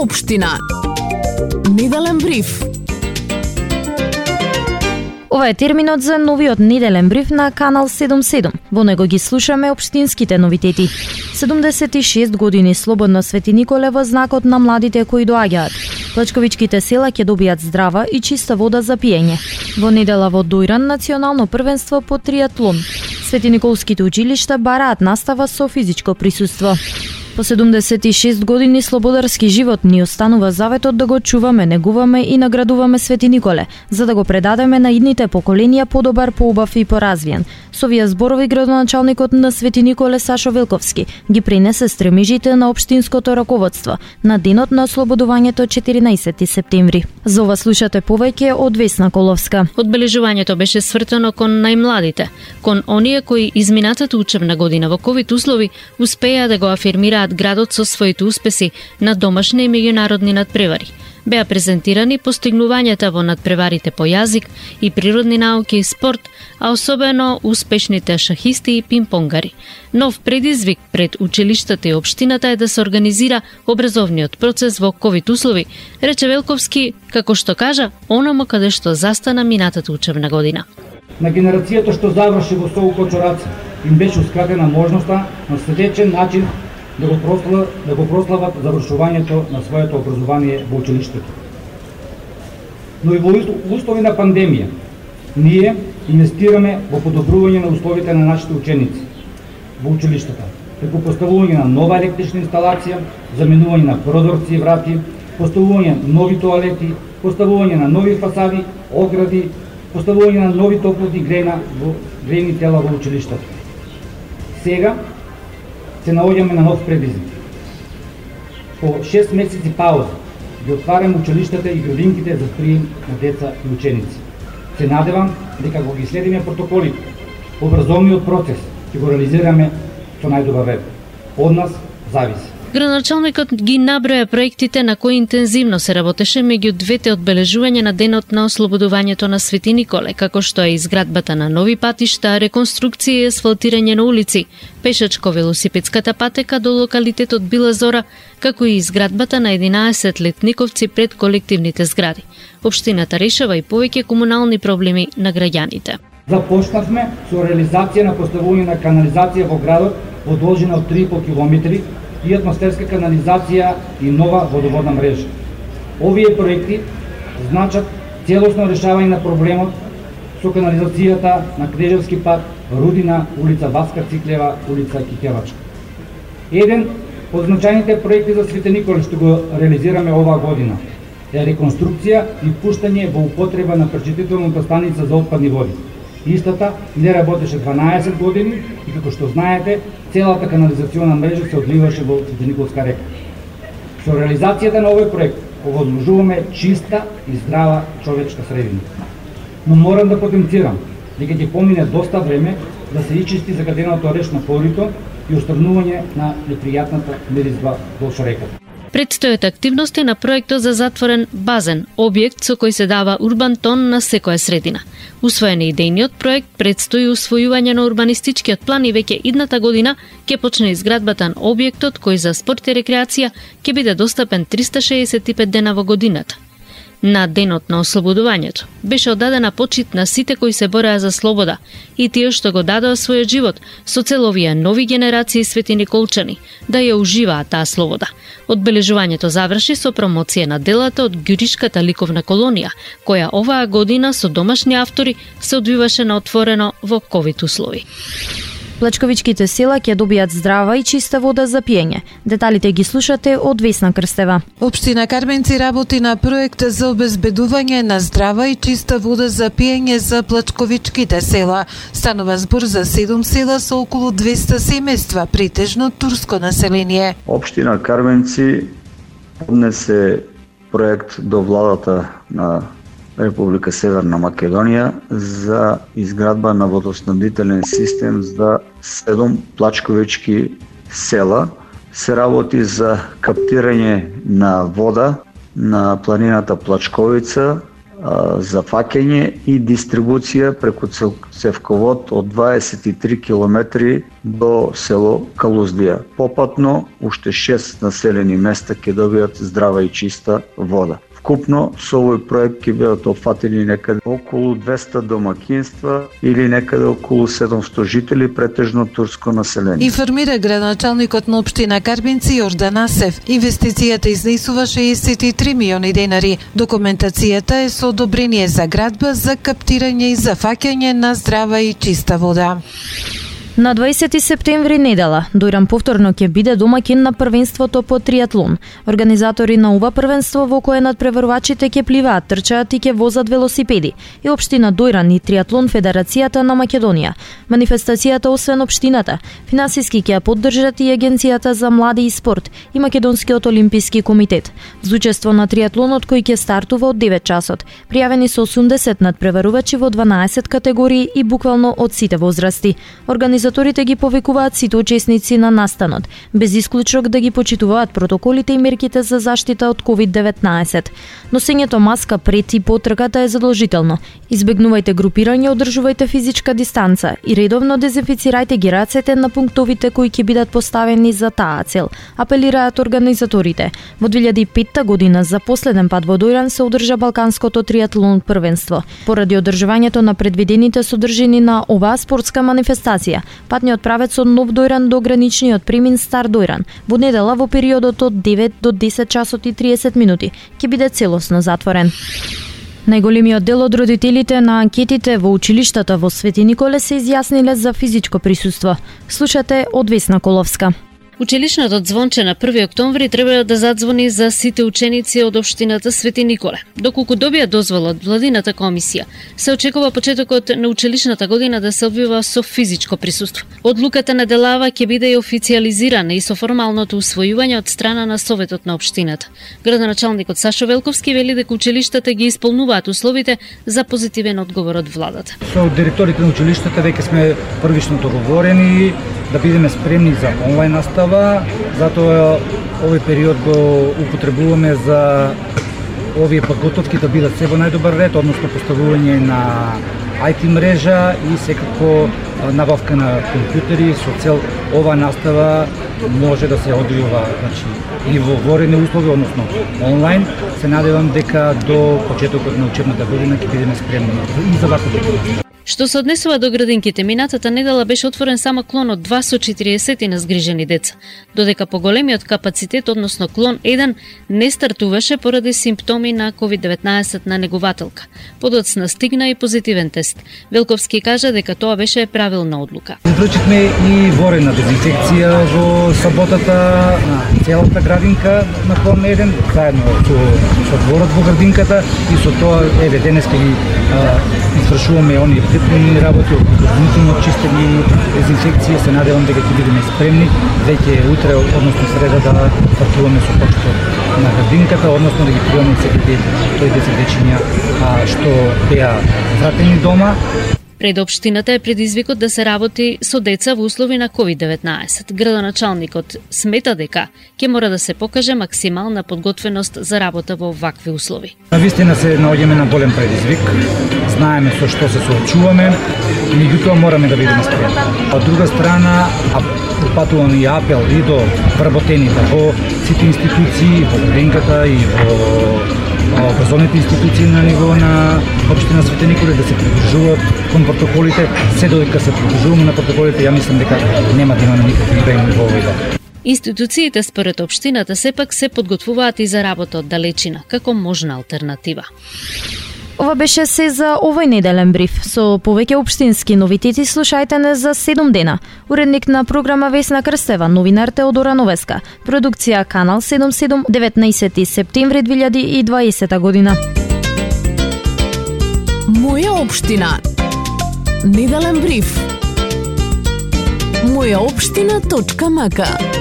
општина. Неделен бриф. Ова е терминот за новиот неделен бриф на Канал 77. Во него ги слушаме општинските новитети. 76 години слободно Свети Николе во знакот на младите кои доаѓаат. Плачковичките села ќе добијат здрава и чиста вода за пиење. Во недела во Дујран национално првенство по триатлон. Свети Николските училишта бараат настава со физичко присуство. По 76 години слободарски живот ни останува заветот да го чуваме, негуваме и наградуваме Свети Николе, за да го предадеме на идните поколенија подобар, поубав и поразвиен. Со овие зборови градоначалникот на Свети Николе Сашо Велковски ги принесе стремежите на општинското раководство на денот на ослободувањето 14 септември. За ова слушате повеќе од Весна Коловска. Одбележувањето беше свртено кон најмладите, кон оние кои изминатата учебна година во ковид услови успеа да го афирмираат градот со своите успеси на домашни и меѓународни надпревари. Беа презентирани постигнувањата во надпреварите по јазик и природни науки и спорт, а особено успешните шахисти и пинг-понгари. Нов предизвик пред училиштата и општината е да се организира образовниот процес во ковид услови, рече Велковски, како што кажа, онамо каде што застана минатата учебна година. На генерацијата што заврши во СОУ Кочораца им беше ускратена можноста на следечен начин да го прослават завршувањето на своето образование во училиштето. Но и во услови на пандемија, ние инвестираме во подобрување на условите на нашите ученици во училиштата, преку поставување на нова електрична инсталација, заменување на прозорци и врати, поставување на нови тоалети, поставување на нови фасади, огради, поставување на нови топлотни грејни тела во училиштата. Сега се наоѓаме на нов предизвик. По 6 месеци пауза ги отвараме училиштата и градинките за прием на деца и ученици. Се надевам дека кога ги следиме протоколите, образовниот процес ќе го реализираме со најдобар ред. Од нас зависи. Градоначалникот ги наброја проектите на кои интензивно се работеше меѓу двете одбележувања на денот на ослободувањето на Свети Николе, како што е изградбата на нови патишта, реконструкција и асфалтирање на улици, пешачко-велосипедската патека до локалитетот Била Зора, како и изградбата на 11 летниковци пред колективните згради. Општината решава и повеќе комунални проблеми на граѓаните. Започнавме со реализација на поставување на канализација во градот во должина од 3,5 километри и атмосферска канализација и нова водоводна мрежа. Овие проекти значат целосно решавање на проблемот со канализацијата на Кнежевски пат, Рудина, улица Васка Циклева, улица Кикевачка. Еден од значајните проекти за Свети Николе што го реализираме оваа година е реконструкција и пуштање во употреба на пречистителната станица за отпадни води. Истата не работеше 12 години и како што знаете, целата канализациона мрежа се одливаше во Свети Николска река. Со реализацијата на овој проект овозможуваме чиста и здрава човечка средина. Но морам да потенцирам дека ќе помине доста време да се ичисти загаденото речно корито и отстранување на непријатната миризба во реката. Предстојат активности на проектот за затворен базен, објект со кој се дава урбан тон на секоја средина. Усвоен е идејниот проект, предстои усвојување на урбанистичкиот план и веќе идната година ќе почне изградбата на објектот кој за спорт и рекреација ќе биде достапен 365 дена во годината. На денот на ослободувањето беше оддадена почит на сите кои се бореа за слобода и тие што го дадоа својот живот со цел овие нови генерации свети николчани да ја уживаат таа слобода. Одбележувањето заврши со промоција на делата од Ѓуришката ликовна колонија, која оваа година со домашни автори се одвиваше на отворено во ковид услови. Плачковичките села ќе добијат здрава и чиста вода за пиење. Деталите ги слушате од Весна Крстева. Општина Карменци работи на проект за обезбедување на здрава и чиста вода за пиење за плачковичките села. Станува збор за 7 села со околу 200 семејства, претежно турско население. Општина Карменци поднесе проект до владата на Република Северна Македонија за изградба на водоснабдителен систем за 7 плачковички села. Се работи за каптирање на вода на планината Плачковица, за фаќање и дистрибуција преку цевковод од 23 километри до село Калуздија. Попатно, уште 6 населени места ќе добијат здрава и чиста вода. Вкупно со овој проект ќе бидат опфатени некаде околу 200 домакинства или некаде околу 700 жители, претежно турско население. Информира градоначалникот на општина Карбинци Јордан Асев. Инвестицијата изнесува 63 милиони денари. Документацијата е со одобрение за градба за каптирање и зафаќање на здрава и чиста вода. На 20 септември недела, Дојран повторно ќе биде домакин на првенството по триатлон. Организатори на ова првенство во кое надпреварувачите ќе пливаат, трчаат и ќе возат велосипеди. И општина Дојран и Триатлон Федерацијата на Македонија. Манифестацијата освен општината, финансиски ќе ја поддржат и Агенцијата за млади и спорт и Македонскиот олимписки комитет. За учество на триатлонот кој ќе стартува од 9 часот. Пријавени се 80 надпреварувачи во 12 категории и буквално од сите возрасти. Организаторите ги повикуваат сите учесници на настанот, без исклучок да ги почитуваат протоколите и мерките за заштита од COVID-19. Носењето маска пред и по трката е задолжително. Избегнувајте групирање, одржувајте физичка дистанца и редовно дезинфицирајте ги рацете на пунктовите кои ќе бидат поставени за таа цел, апелираат организаторите. Во 2005 година за последен пат во Дојран се одржа Балканското триатлон првенство. Поради одржувањето на предвидените содржини на оваа спортска манифестација, патниот правец од Нов Дојран до граничниот премин Стар Дојран во недела во периодот од 9 до 10 часот и 30 минути ќе биде целосно затворен. Најголемиот дел од родителите на анкетите во училиштата во Свети Николе се изјасниле за физичко присуство. Слушате од Весна Коловска. Училишното звонче на 1 октомври треба да задзвони за сите ученици од општината Свети Николе. Доколку добија дозвола од владината комисија, се очекува почетокот на училишната година да се одвива со физичко присуство. Одлуката на Делава ќе биде и официјализирана и со формалното усвојување од страна на Советот на општината. Градоначалникот Сашо Велковски вели дека училиштата ги исполнуваат условите за позитивен одговор од владата. Со директорите на училиштата веќе сме првично договорени да бидеме спремни за онлайн настава, затоа овој период го употребуваме за овие подготовки да бидат се во најдобар ред, односно поставување на IT мрежа и секако набавка на компјутери со цел ова настава може да се одвива, значи и во ворени услови, односно онлайн. Се надевам дека до почетокот на учебната година ќе бидеме спремни и за ваква година. Што се однесува до градинките, минатата недела беше отворен само клон од 2 со 40 на згрижени деца, додека поголемиот капацитет, односно клон 1, не стартуваше поради симптоми на COVID-19 на негувателка. Подоцна стигна и позитивен тест. Велковски кажа дека тоа беше правилна одлука. Извршивме и ворена дезинфекција во саботата на целата градинка на клон 1, заедно со дворот во градинката и со тоа денеска ги извршуваме оние приpremни работи, допълнително чистење и дезинфекција. Се надевам дека ќе бидеме спремни веќе утре, односно среда, да стартуваме со почетот на градинката, односно да ги приемаме секите тој 10 дечиња што беа вратени дома. Пред општината е предизвикот да се работи со деца во услови на COVID-19. Градоначалникот смета дека ќе мора да се покаже максимална подготвеност за работа во вакви услови. Навистина се наоѓаме на голем предизвик. Знаеме со што се соочуваме, меѓутоа мораме да бидеме спремни. Од друга страна, упатувам и апел и до вработените во сите институции, во градинката и во образовните институции на ниво на општина Свети Николе да се придржуваат кон протоколите. Се додека се придржуваме на протоколите, ја мислам дека нема да имаме никакви проблеми во овој дел. Институциите според општината сепак се подготвуваат и за работа од далечина, како можна алтернатива. Ова беше се за овој неделен бриф. Со повеќе општински новитети слушајте не за 7 дена. Уредник на програма Весна Крстева, новинар Теодора Новеска. Продукција Канал 77, 19 септември 2020 година. Моја општина. Неделен бриф. Мојаопштина.мк